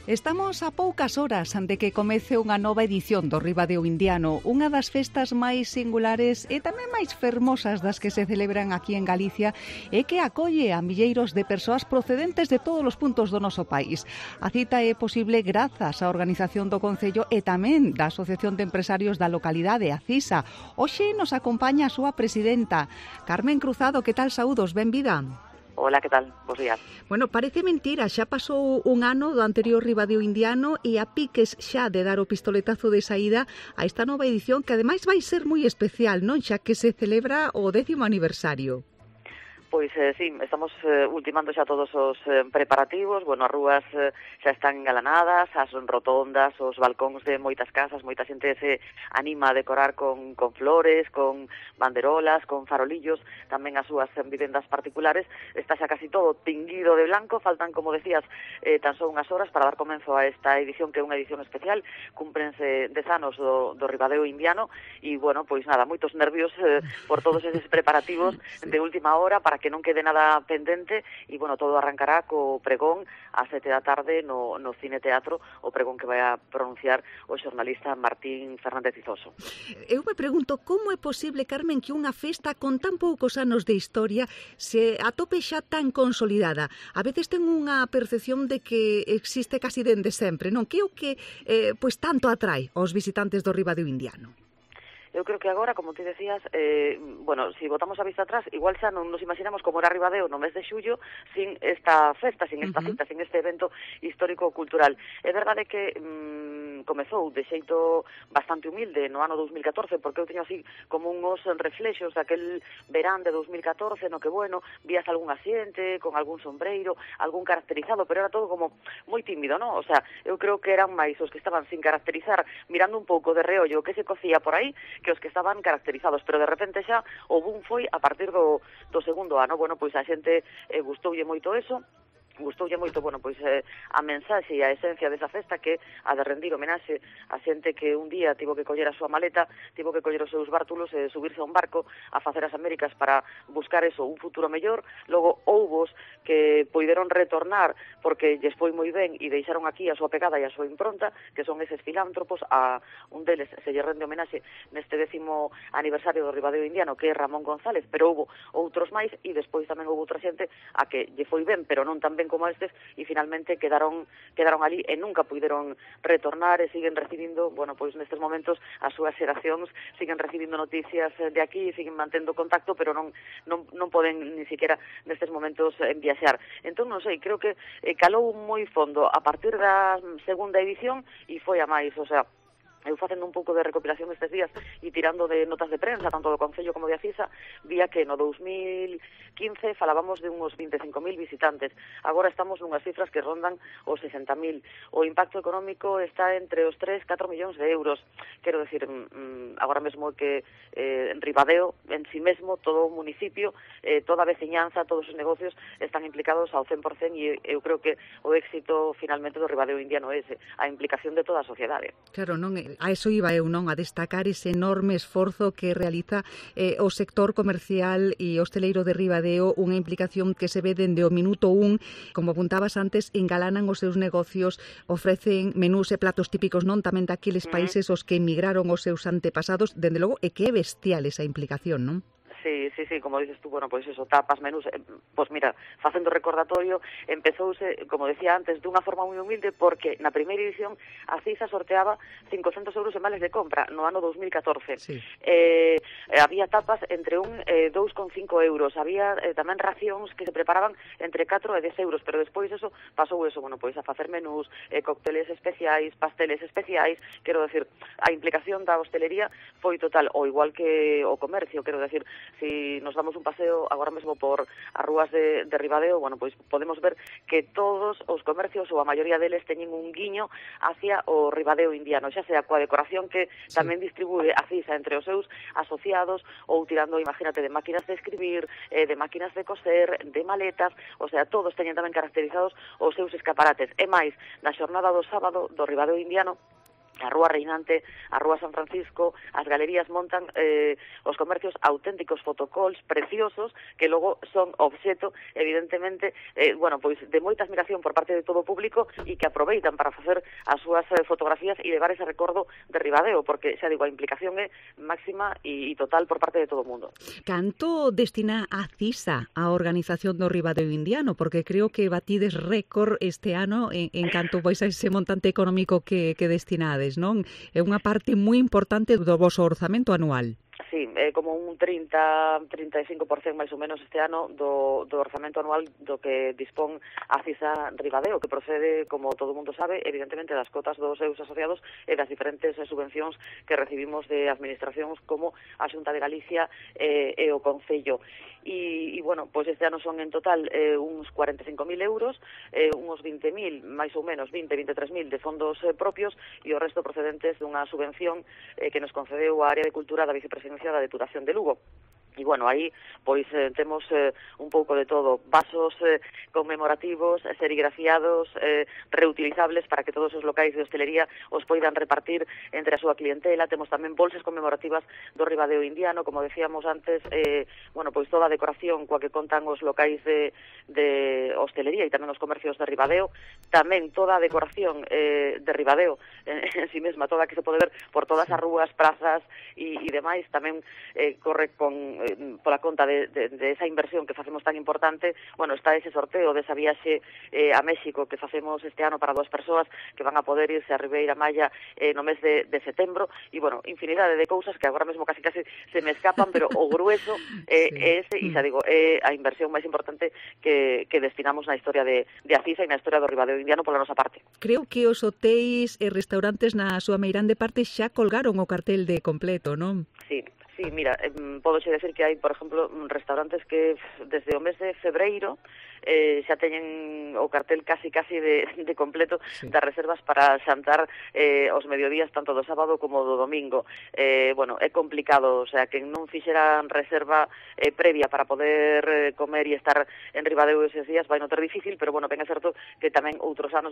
Estamos a poucas horas de que comece unha nova edición do Ribadeo Indiano, unha das festas máis singulares e tamén máis fermosas das que se celebran aquí en Galicia e que acolle a milleiros de persoas procedentes de todos os puntos do noso país. A cita é posible grazas á organización do Concello e tamén da Asociación de Empresarios da localidade, a CISA. Hoxe nos acompaña a súa presidenta, Carmen Cruzado. Que tal? Saúdos, benvida. Hola, que tal? Bos días. Bueno, parece mentira, xa pasou un ano do anterior Ribadeo Indiano e a piques xa de dar o pistoletazo de saída a esta nova edición que ademais vai ser moi especial, non? Xa que se celebra o 10º aniversario. Pois sí, estamos ultimando xa todos os preparativos. Bueno, as rúas xa están engalanadas, as rotondas, os balcóns de moitas casas, moita xente se anima a decorar con flores, con banderolas, con farolillos, tamén as súas vivendas particulares. Está xa casi todo tinguido de blanco, faltan, como decías, tan só unhas horas para dar comenzo a esta edición, que é unha edición especial. Cúmprense 10 anos do Ribadeo Indiano e, bueno, pois nada, moitos nervios por todos eses preparativos de última hora para que non quede nada pendente e, bueno, todo arrancará co pregón a 7 da tarde no Cine Teatro, o pregón que vai a pronunciar o xornalista Martín Fernández Izoso. Eu me pregunto como é posible, Carmen, que unha festa con tan poucos anos de historia se atope xa tan consolidada. A veces ten unha percepción de que existe casi dende sempre, non? Que é o que pois tanto atrae aos visitantes do Ribadeo Indiano? Eu creo que agora, como ti decías, bueno, si botamos a vista atrás, igual xa non nos imaginamos como era Ribadeo no mes de xullo sin esta festa, sin esta cita, sin este evento histórico-cultural. É verdade que comezou de xeito bastante humilde no ano 2014, porque eu teño así como uns reflexos daquel verán de 2014, no que, bueno, vías algún asiente, con algún sombreiro, algún caracterizado, pero era todo como moi tímido, non? O sea, eu creo que eran máis os que estaban sin caracterizar, mirando un pouco de reollo que se cocía por aí, que os que estaban caracterizados, pero de repente xa o boom foi a partir do segundo ano. Bueno, pois a xente gustoulle moito eso. Gustoulle moito, bueno, pois a mensaxe e a esencia desa festa, que a de rendir homenaxe a xente que un día tivo que coller a súa maleta, tivo que coller os seus bártulos e subirse a un barco a facer as Américas para buscar eso, un futuro mellor. Logo houbos que poideron retornar porque lles foi moi ben e deixaron aquí a súa pegada e a súa impronta, que son eses filántropos. A un deles se lle rende homenaxe neste 10º aniversario do Ribadeo Indiano, que é Ramón González, pero houbo outros máis e despois tamén houbo outra xente a que lle foi ben, pero non tan ben como estes, e finalmente quedaron ali e nunca puideron retornar e siguen recibindo, bueno, pois nestes momentos as súas xeracións siguen recibindo noticias de aquí e siguen mantendo contacto, pero non poden ni siquiera nestes momentos viaxar. Entón, non sei, creo que calou moi fondo a partir da segunda edición e foi a máis, o sea, eu facendo un pouco de recopilación estes días e tirando de notas de prensa, tanto do Concello como de Acisa, vía que no 2015 falábamos de uns 25.000 visitantes. Agora estamos nunhas cifras que rondan os 60.000. O impacto económico está entre os 3-4 millóns de euros. Quero decir, agora mesmo que en Ribadeo, en si mesmo, todo o municipio, toda a veciñanza, todos os negocios están implicados ao 100%, e eu creo que o éxito finalmente do Ribadeo Indiano é ese, a implicación de toda a sociedade. Claro, non é a eso iba eu, non? A destacar ese enorme esforzo que realiza o sector comercial e hosteleiro de Ribadeo, unha implicación que se ve dende o minuto 1, como apuntabas antes, engalanan os seus negocios, ofrecen menús e platos típicos, non? Tamén daqueles países os que emigraron os seus antepasados, dende logo, e que é bestial esa implicación, non? Sí, como dices tú, bueno, pois eso, tapas, menús, pois mira, facendo recordatorio, empezouse, como decía antes, dunha forma moi humilde, porque na primeira edición a CISA sorteaba 500 euros en vales de compra no ano 2014. Sí. Había tapas entre 2,5 euros, había tamén racións que se preparaban entre 4 e 10 euros, pero despois eso pasou eso, bueno, pois a facer menús, cócteles especiais, pasteles especiais. Quero decir, a implicación da hostelería foi total, o igual que o comercio. Quero decir, si nos damos un paseo agora mesmo por as rúas de Ribadeo, bueno, pois podemos ver que todos os comercios, ou a maioría deles, teñen un guiño hacia o Ribadeo Indiano, xa sea coa decoración que tamén distribúe a CISA entre os seus asociados, ou tirando, imagínate, de máquinas de escribir, de máquinas de coser, de maletas, o sea, todos teñen tamén caracterizados os seus escaparates. E máis, na xornada do sábado do Ribadeo Indiano, a Rúa Reinante, a Rúa San Francisco, as galerías montan os comercios auténticos fotocalls preciosos que logo son obxeto, evidentemente, pois de moita admiración por parte de todo o público e que aproveitan para facer as súas fotografías e levar ese recordo de Ribadeo, porque, xa digo, a implicación é máxima e total por parte de todo o mundo. Canto destina a CISA a organización do Ribadeo Indiano? Porque creo que batides récord este ano en canto vais a ese montante económico que destinades, non? É unha parte moi importante do voso orzamento anual. Sí, como un 30-35% máis ou menos este ano do orzamento anual do que dispón a CISA Ribadeo, que procede, como todo mundo sabe, evidentemente das cotas dos seus asociados e das diferentes subvencións que recibimos de administracións como a Xunta de Galicia e o Concello. E pois este ano son en total uns 45.000 euros, uns 20.000, máis ou menos 20-23.000 de fondos propios e o resto procedentes dunha subvención que nos concedeu a Área de Cultura da Vicepresidencia da Deputación de Lugo. E, aí, pois, temos un pouco de todo, vasos conmemorativos, serigrafiados, reutilizables para que todos os locais de hostelería os poidan repartir entre a súa clientela. Temos tamén bolsas conmemorativas do Ribadeo Indiano, como decíamos antes, pois toda a decoración coa que contan os locais de hostelería e tamén os comercios de Ribadeo, tamén toda a decoración de Ribadeo en si mesma, toda que se pode ver por todas as rúas, prazas e demais, tamén corre pola conta de esa inversión que facemos tan importante. Está ese sorteo desa viaxe a México que facemos este ano para 2 persoas que van a poder irse a Ribeira Maya no mes de setembro e, infinidade de cousas que agora mesmo casi se me escapan, pero o grueso é ese, e xa digo, é a inversión máis importante que destinamos na historia de Acisa e na historia do Ribadeo Indiano pola nosa parte. Creo que os hotéis e restaurantes na súa meirande parte xa colgaron o cartel de completo, non? Sí, mira, podoche decir que hai, por exemplo, restaurantes que desde o mes de febreiro xa teñen o cartel casi de completo das reservas para xantar os mediodías tanto do sábado como do domingo. É complicado, o sea, que non fixeran reserva previa para poder comer e estar en Ribadeo eses días vai notar difícil, pero ben é certo que tamén outros anos,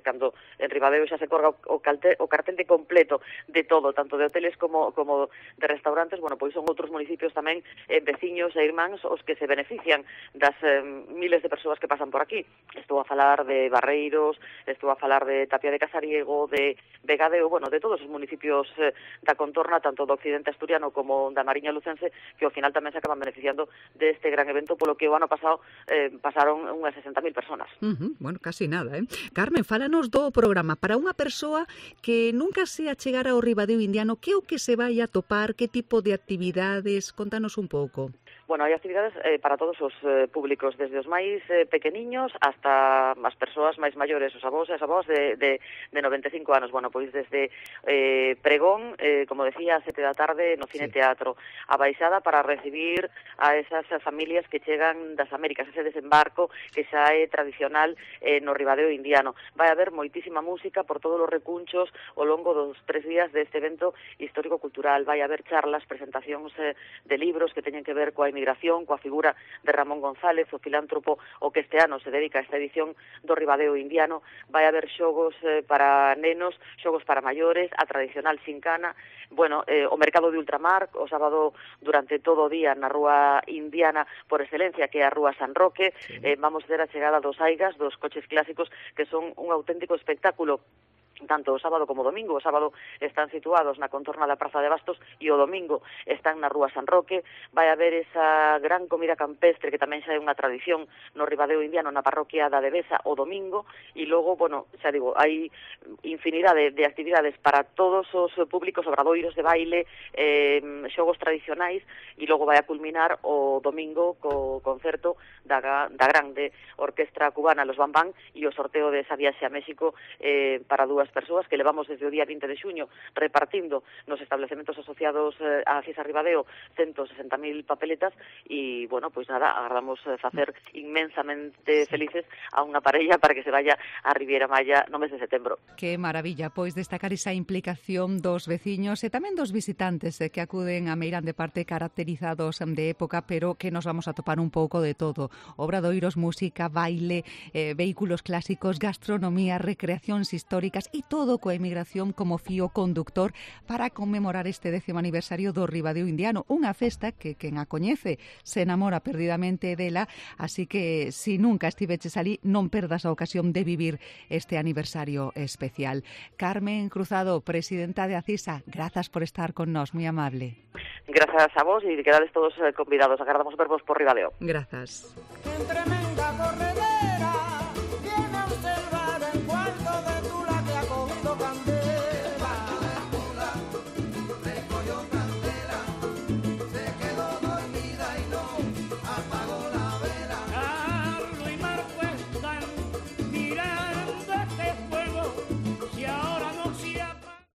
cando en Ribadeo xa se colga o cartel de completo de todo, tanto de hoteles como de restaurantes, son outros municipios tamén veciños e irmáns os que se benefician das miles de persoas que pasan por aquí. Estou a falar de Barreiros, estou a falar de Tapia de Casariego, de Vegadeo, de todos os municipios da contorna, tanto do occidente asturiano como da Mariña Lucense, que ao final tamén se acaban beneficiando deste gran evento, polo que o ano pasado pasaron unhas 60.000 personas. Casi nada, Carmen, fálanos do programa. Para unha persoa que nunca se achegara ao Ribadeo Indiano, que é o que se vai a topar, que tipo de actividades? Contanos un pouco. Hai actividades para todos os públicos, desde os máis pequeniños hasta as persoas máis maiores, os avós e as avós de 95 anos. Pois desde pregón, como decía, a 7 da tarde no Cine Teatro, a baixada para recibir a esas familias que chegan das Américas, ese desembarco que xa é tradicional no Ribadeo Indiano. Vai haber moitísima música por todos os recunchos ao longo dos 3 días deste evento histórico-cultural. Vai haber charlas, presentacións de libros que teñen que ver coa migración, coa figura de Ramón González, o filántropo o que este ano se dedica a esta edición do Ribadeo Indiano. Vai haber xogos para nenos, xogos para maiores, a tradicional xincana, o mercado de ultramar, o sábado durante todo o día na Rúa Indiana por excelencia, que é a Rúa San Roque. Vamos ter a chegada dos aigas, dos coches clásicos, que son un auténtico espectáculo tanto o sábado como o domingo. O sábado están situados na contorna da Praza de Bastos e o domingo están na Rúa San Roque. Vai haber esa gran comida campestre que tamén xa é unha tradición no Ribadeo Indiano, na parroquia da Devesa o domingo, e logo, xa digo, hai infinidade de actividades para todos os públicos, obradoiros de baile, xogos tradicionais, e logo vai a culminar o domingo co concerto da grande orquestra cubana Los Bambán e o sorteo de esa viaxe a México para 2 persoas que levamos desde o día 20 de xuño repartindo nos establecementos asociados a Acisa Ribadeo 160.000 papeletas e, agardamos facer inmensamente felices a unha parella para que se vaya a Ribeira Maya no mes de setembro. Que maravilla, pois destacar esa implicación dos veciños e tamén dos visitantes que acuden a Meirande parte caracterizados de época, pero que nos vamos a topar un pouco de todo. Obradoiros, música, baile, vehículos clásicos, gastronomía, recreacións históricas e todo coa emigración como fío conductor para conmemorar este 10º aniversario do Ribadeo Indiano, unha festa que quen a coñece se enamora perdidamente dela, así que se nunca estiveches ali non perdas a ocasión de vivir este aniversario especial. Carmen Cruzado, presidenta de ACISA, grazas por estar con nós, moi amable. Grazas a vos e quedades todos convidados, agardamos vervos por Ribadeo. Grazas.